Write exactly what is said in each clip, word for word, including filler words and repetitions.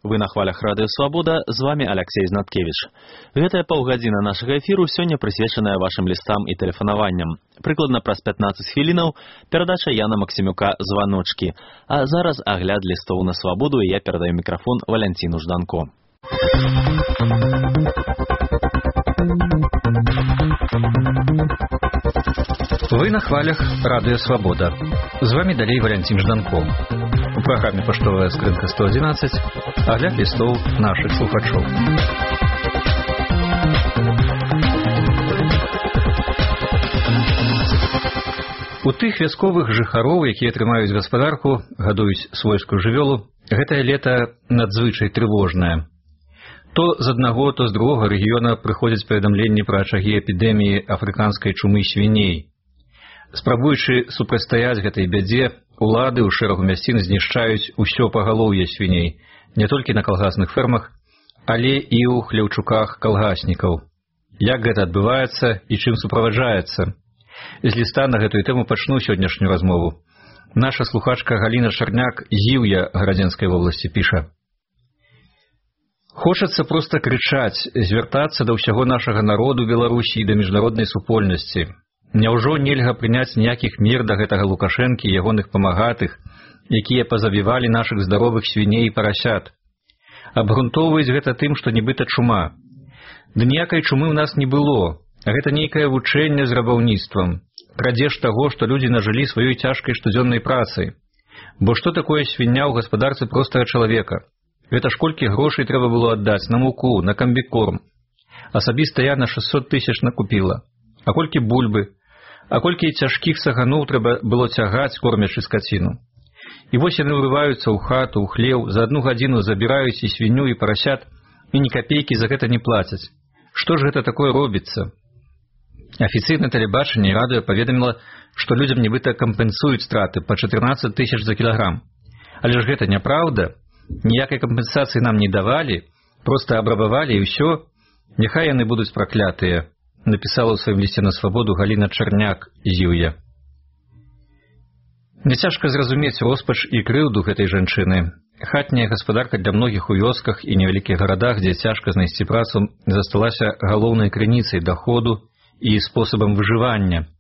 Вы на хвалях Радыё Свабода, з вами Алексей Знаткевич. Гэтая паўгадзіна нашага эфіру сёння прысвечаная вашым лістам і тэлефанаванням. Прыкладна праз пятнаццаць хвілінаў перадача Яна Максімюка «Званочкі». А зараз агляд лістоў на свабоду, і я перадаю мікрафон Валянціну Жданко. Вы на хвалях Радыё Свабода. З вами далей Валянцін Жданко. У праграме «Паштовая скрынка сто адзінаццаць» агляд лістоў нашых слухачоў. У тых вясковых жыхароў, якія трымаюць гаспадарку, гадуюць свойскую жывёлу, гэтае лета надзвычай трывожнае. То з аднаго, то з другога рэгіёна прыходзяць паведамленні пра ачагі эпідэміі афрыканскай чумы свіней. Спрабуючы супрацьстаяць гэтай бядзе, улады ў шэрагу мясцін знішчаюць усё пагалоўе свіней, не толькі на калгасных фермах, але і ў хляўчуках калгаснікаў. Як гэта адбываецца і чым суправаджаецца? З ліста на гэтую тэму пачну сённяшнюю размову. Наша слухачка Галіна Чарняк з Іўя Гарадзенскай вобласці піша: «Хочацца проста крычаць, звяртацца да ўсяго нашага народу Беларусі і да міжнароднай супольнасці. Няўжо нельга прыняць ніякіх мер да гэтага Лукашэнкі і ягоных памагатых, якія пазабівалі нашых здаровых свіней і парасят? Абгрунтоўваюць гэта тым, што нібыта чума. Ды ніякай чумы ў нас не было. Гэта нейкае вучэнне з рабаўніцтвам, крадзеж таго, што людзі нажылі сваёй цяжкай штодзённай працай. Бо што такое свіння ў гаспадарцы простага чалавека? Гэта ж колькі грошай трэба было аддаць на муку, на камбікорм. Асабіста я на шэсцьсот тысяч накупіла. А колькі бульбы? А колькі цяжкіх саганоў трэба было цягаць, кормячы скаціну? І вось яны ўрываюцца ў хату, ў хлеў, за адну гадзіну забіраюць і свінню, і парасят, і ні капейкі за гэта не плацяць. Што ж гэта такое робіцца? Афіцыйнае тэлебачанне і радыё паведаміла, што людзям нібыта кампенсуюць страты па чатырнаццаць тысяч за кілаграм. Але ж гэта няпраўда. Ніякай кампенсацыі нам не давалі, проста абрабавалі і ўсё. Няхай яны будуць праклятыя», напісала ў сваім лісце на свабоду Галіна Чарняк з Іўя. Няцяжка зразумець роспач і крыўду гэтай жанчыны. Хатняя гаспадарка для многіх у вёсках і невялікіх гарадах, дзе цяжка знайсці працу, засталася галоўнай крыніцай даходу і спосабам выжывання.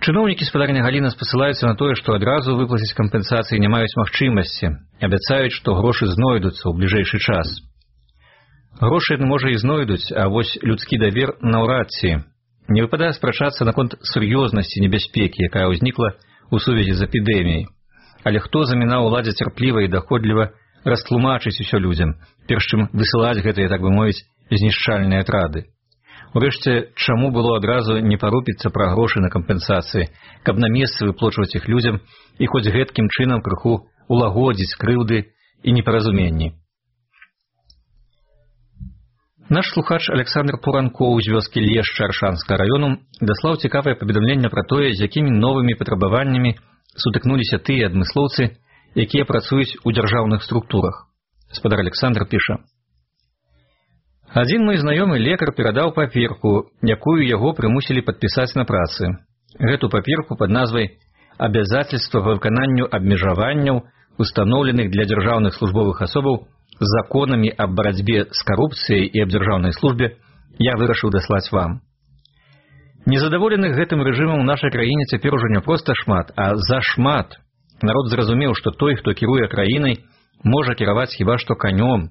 Чыноўнікі спадарня Галіна спасылаюцца на тое, што адразу выплаціць кампенсацыі не маюць магчымасці, абяцаюць, што грошы знойдуцца ў бліжэйшы час. Грошы, можа, і знойдуць, а вось людскі давер наўрад ці. Не выпадае спрачацца наконт сур'ёзнасці небяспекі, якая ўзнікла ў сувязі з эпідэміяй. Але хто замінаў уладзе цярпліва і даходліва растлумачыць усё людзям, перш чым высылаць гэтыя, так бы мовіць, знішчальныя атрады? Урэшце, чаму было адразу не парупіцца пра грошы на кампенсацыі, каб на месцы выплочваць іх людзям і хоць гэткім чынам крыху улагодзіць крыўды і непаразуменні? Наш слухач Александр Пуранкоў з вёскі Лешча Аршанскага раёну даслаў цікавае паведамленне пра тое, з якімі новымі патрабаваннямі сутыкнуліся тыя адмыслоўцы, якія працуюць у дзяржаўных структурах. Спадар Александр піша: «Адзін мой знаёмы лекар перадаў паперку, якую яго прымусілі падпісаць на працы. Гэту паперку пад назвай «Абязательства па выкананню абмежаванняў, устаноўленых для дзяржаўных службовых асобаў законамі аб барацьбе з карупцыяй і аб дзяржаўнай службе» я вырашыў даслаць вам. Незадаволеных гэтым рэжымам у нашай краіне цяпер ужо не проста шмат, а зашмат. Народ зразумеў, што той, хто кіруе краінай, можа кіраваць хіба што канём.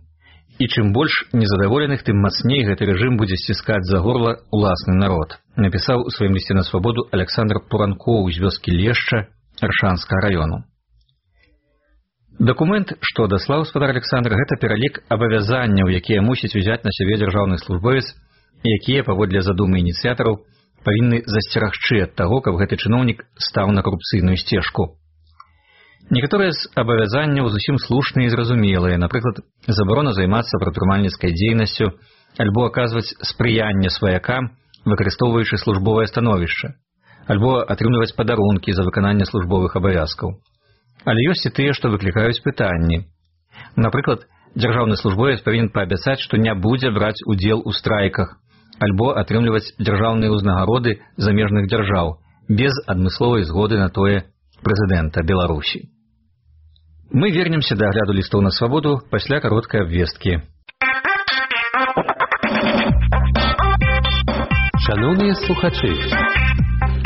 І чым больш незадаволеных, тым мацней гэты рэжым будзе сціскаць за горла уласны народ, напісаў у сваім лісце на свабоду Александр Пуранкоў з вёскі Лешча Аршанскага раёну. Дакумент, што даслаў спадар Александр, гэта пералік абавязанняў, якія мусіць узяць на сябе дзяржаўны службовец, якія, паводле задумы ініцыятараў, павінны засцерагчы ад таго, каб гэты чыноўнік стаў на карупцыйную сцежку. Некаторыя з абавязанняў зусім слушныя і зразумелыя, напрыклад, забарона займацца прадпрымальніцкай дзейнасцю альбо аказваць спрыянне сваякам, выкарыстоўваючы службовае становішча, альбо атрымліваць падарункі за выкананне службовых абавязкаў. Але ёсць і тыя, што выклікаюць пытанні. Напрыклад, дзяржаўны службовец павінен паабяцаць, што не будзе браць удзел у страйках, альбо атрымліваць дзяржаўныя ўзнагароды замежных дзяржаў без адмысловай згоды на тое прэзідэнта Беларусі. Мы вернемся да агляду лістоў на свабоду пасля кароткай абвесткі. Шановні слухачі,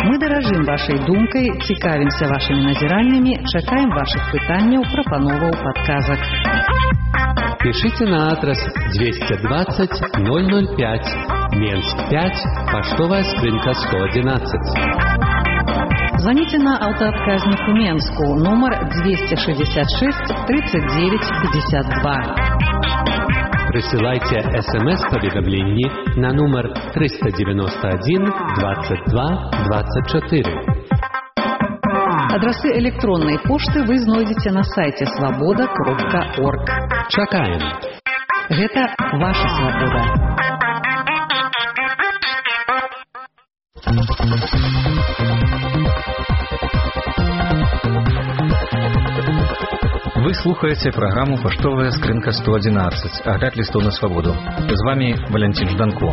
мы даражым вашай думкай, цікавімся вашымі назіраннямі, чакаем вашых пытанняў, прапановаў, падказак. Пишите на адрес двести двадцать ноль ноль пять, Менск пять, поштовая скринка сто одиннадцать. Звоните на автоотказник в Менску, номер двести шестьдесят шесть тридцать девять пятьдесят два. Присылайте смс-поведомление на номер триста девяносто один двадцать два двадцать четыре. Адресы электронной почты вы знойдете на сайте свобода кропка орг. Чакаем. Гэта ваша свобода. Вы слухаете программу «Поштовая скринка сто одиннадцать», агляд листов на свободу. С вами Валентин Жданко.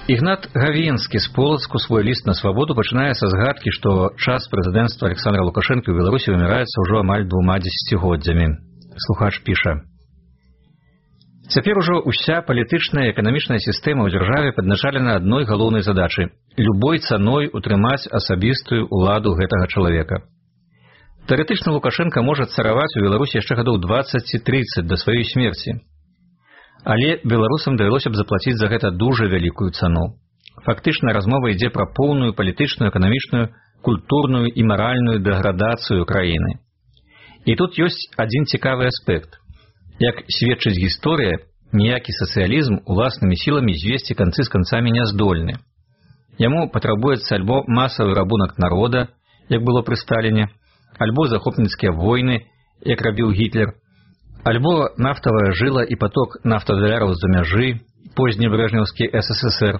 Ігнат Гавенскі з Полацку свой ліст на свабоду пачынае са згадкі, што час прэзідэнцтва Александра Лукашэнкі ў Беларусі вымяраецца ўжо амаль двума дзесяцігоддзямі. Слухач піша: «Цяпер ужо ўся палітычная і эканамічная сістэма ў дзяржаве падначалена адной галоўнай задачы – любой цаной утрымаць асабістую ўладу гэтага чалавека. Тэарэтычна Лукашэнка можа цараваць у Беларусі яшчэ гадоў дваццаць ці трыццаць да сваёй смерці. Але беларусам давялося б заплаціць за гэта дужа вялікую цану. Фактычна размова ідзе пра поўную палітычную, эканамічную, культурную і маральную дэградацыю краіны. І тут ёсць адзін цікавы аспект. Як сведчыць гісторыя, ніякі сацыялізм уласнымі сіламі звесці канцы з канцамі не здольны. Яму патрабуецца альбо масавы рабунак народа, як было пры Сталіне, альбо захопніцкія войны, як рабіў Гітлер, альбо нафтавая жыла і поток нафтадаляраў з-за мяжы, позні брэжнеўскі эс эс эс эр,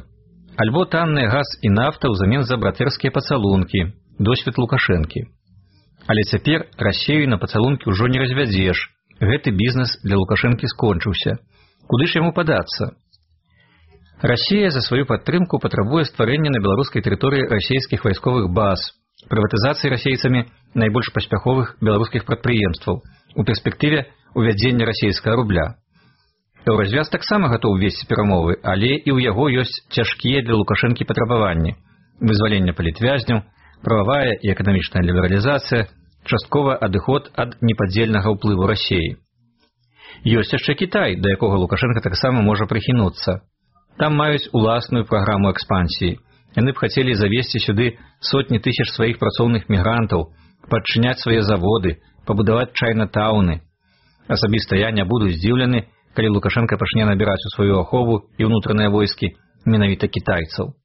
альбо танны газ і нафта ўзамен за братэрскія пацалункі, досвед Лукашэнкі. Але цяпер Расею на пацалункі ўжо не развядзеш. Гэты бізнес для Лукашэнкі скончыўся. Куды ж яму падацца? Расія за сваю падтрымку патрабуе стварэння на беларускай тэрыторыі расійскіх вайсковых баз, прыватызацыі расейцамі найбольш паспяховых беларускіх прадпрыемстваў, у перспектыве увядзення расійскага рубля. Еўразвяз таксама гатоў весці перамовы, але і ў яго ёсць цяжкія для Лукашэнкі патрабаванні: вызвалення палітвязняў, прававая і эканамічная лібералізацыя, часткова адыход ад непадзельнага ўплыву Расіі. Ёсць яшчэ Кітай, да якога Лукашэнка таксама можа прыхінуцца. Там маюць уласную праграму экспансіі. Яны б хацелі завесці сюды сотні тысяч сваіх працоўных мігрантаў, падчыняць свае заводы, пабудаваць чайна-тауны. Асабіста я не буду здзіўлены, калі Лукашэнка пачне набіраць у сваю ахову і ўнутраныя войскі менавіта кітайцаў.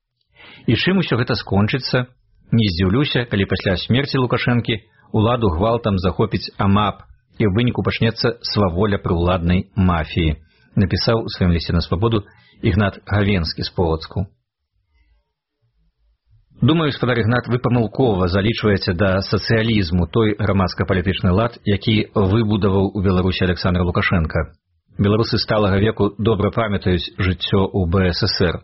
І чым усё гэта скончыцца? Не здзіўлюся, калі пасля смерці Лукашэнкі уладу гвалтам захопіць АМАП і ў выніку пачнецца сваволя прыўладнай мафіі, напісаў у сваім лісце на свабоду Ігнат Гавенскі з Полацку. Думаю, спадар Ігнат, вы памылкова залічваеце да сацыялізму той грамадска-палітычны лад, які выбудаваў у Беларусі Александр Лукашэнка. Беларусы сталага веку добра памятаюць жыццё ў бэ эс эс эр.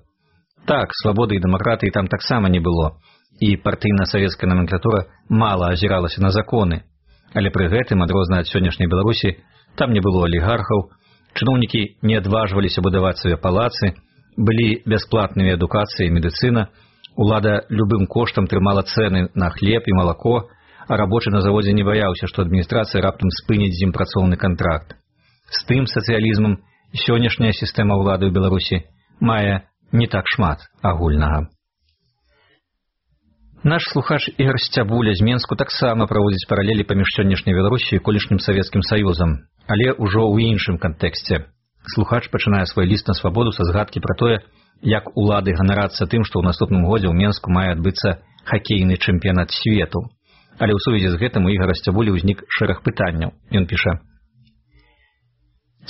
Так, свабоды і дэмакратыі там таксама не было, і партыйна-савецкая номенклатура мала азіралася на законы. Але пры гэтым, адрозна ад сённяшняй Беларусі, там не было алігархаў, чыноўнікі не адважваліся будаваць свае палацы, былі бясплатныя адукацыя і медыцына, улада любым коштам трымала цэны на хлеб і малако, а рабочы на заводзе не баяўся, што адміністрацыя раптам спыніць з ім працоўны кантракт. З тым сацыялізмам сённяшняя сістэма ўлады ў Беларусі мае не так шмат агульнага. Наш слухач Ігор Сцябуля з Менску таксама праводзіць паралелі паміж сённяшняй Беларусі і колішнім Савецкім Саюзам, але ўжо ў іншым кантэксце. Слухач пачынае свой ліст на свабоду са згадкі пра тое, як улады ганарацца тым, што ў наступным годзе ў Менску мае адбыцца хакейны чэмпіянат свету. Але ў сувязі з гэтым у Ігора Сцябулі ўзнік шэраг пытанняў. Ён піша: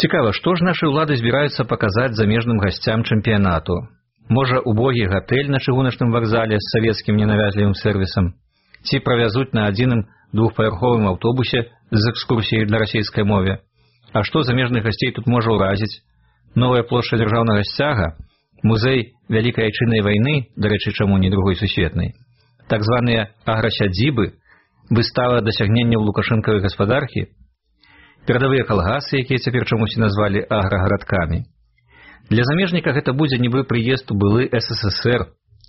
«Цікава, што ж нашы ўлады збіраюцца паказаць замежным гасцям чэмпіянату? Можа, убогі гатэль на чыгуначным вакзале з савецкім ненавязлівым сэрвісам? Ці правязуць на адзіным двухпавярховым аўтобусе з экскурсіяй на расійскай мове? А што замежных гасцей тут можа ўразіць? Новая плошча дзяржаўнага сцяга? Музей Вялікай айчыннай вайны, дарэчы, чаму не другой сусветнай? Так званыя аграсядзібы, Выстава дасягненняў лукашэнкавай гаспадаркі? Перадавыя калгасы, якія цяпер чамусь назвалі аграгарадкамі? Для замежніка гэта будзе нібы прыезд у былы эс эс эс эр.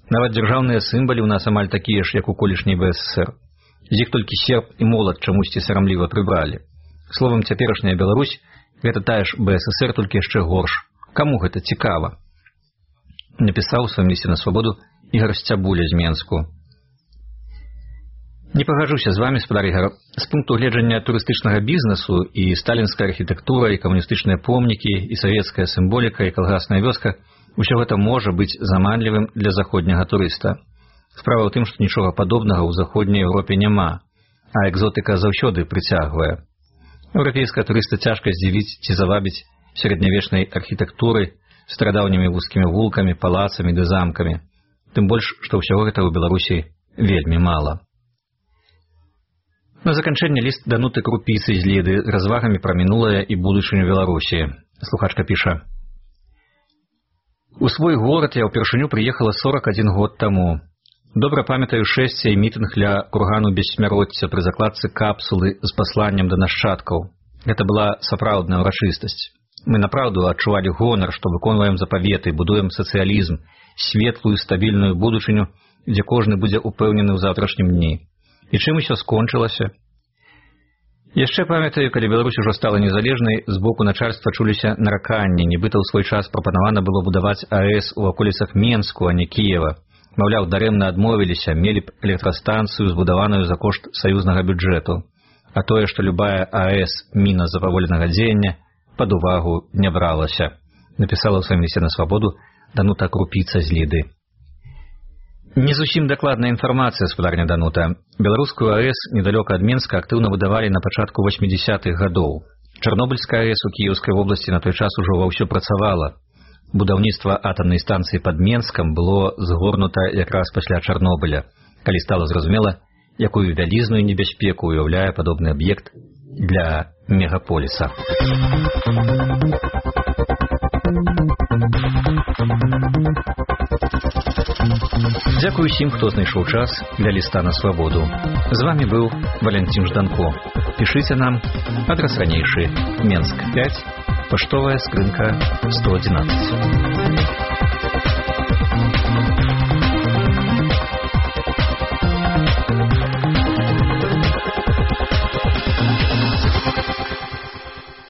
Нават дзяржаўныя сімвалы ў нас амаль такія ж, як у колішняй бэ эс эс эр. З іх толькі серп і молат чамусьці сарамліва прыбралі. Словам, цяперашняя Беларусь – гэта тая ж бэ эс эс эр, толькі яшчэ горш. Каму гэта цікава? Напісаў у сваім лісце на свабоду Ігор Сцябуля з Менску. Не пагаджуся з вами, спадар Ігор. З пункту гледжання турыстычнага бізнесу і сталінская архітэктура, і камуністычныя помнікі, і савецкая сімволіка, і калгасная вёска – усё гэта можа быць заманлівым для заходняга турыста. Справа ў тым, што нічога падобнага ў заходняй Еўропе няма, а экзотыка заўсёды прыцягвае. Еўрапейскага турыста цяжка здзівіць ці завабіць сярэднявечнай архітэктурай, старадаўнімі вузкімі вулкамі, палацамі ды замкамі. Тым больш, што ўсяго гэта ў Беларусі вельмі мала. На заканчэнне ліст Дануты Крупіцы з Ліды з развагамі пра мінулае і будучыню Беларусі. Слухачка піша: «У свой горад я ўпершыню прыехала сорак адзін год таму. Добра памятаю шэсце і мітынг ля кургану бессмяротця пры закладцы капсулы з пасланнем да нашчадкаў. Гэта была сапраўдная ўрачыстасць. Мы направду адчувалі гонар, што выконваем запаветы, будуем сацыялізм, светлую, стабільную будучыню, дзе кожны будзе упэўнены ў заўтрашнім дні. І чым усё скончылася? Яшчэ памятаю, калі Беларусь ужо стала незалежнай, з боку начальства чуліся нараканні, нібыта ў свой час прапанавана было будаваць а эс у аколіцах Менску, а не Кіева. Маўляў, дарэмна адмовіліся, мелі б электрастанцыю, збудаваную за кошт саюзнага бюджэту. А тое, што любая а эс міна запаволенага дзеяння, пад увагу не бралася. Напісала ў сваім лісце на свабоду Данута Крупіца з Ліды. Не зусім дакладная інфармацыя, спадарня Данута. Беларускую а эс недалёка ад Менска актыўна выдавалі на пачатку васьмідзесятых гадоў. Чарнобыльская а эс у Кіеўскай вобласці на той час ужо ва ўсё працавала. Будаўніцтва атамнай станцыі пад Менскам было згорнута якраз пасля Чарнобыля, калі стала зразумела, якую вялізную небяспеку уяўляе падобны аб'ект для мегаполіса. Дзякую усім, хто знайшоў час для ліста на свабоду. З вами быў Валянцін Жданко. Пішыце нам, адрас ранейшы, Менск пяць, паштовая скрынка сто адзінаццаць.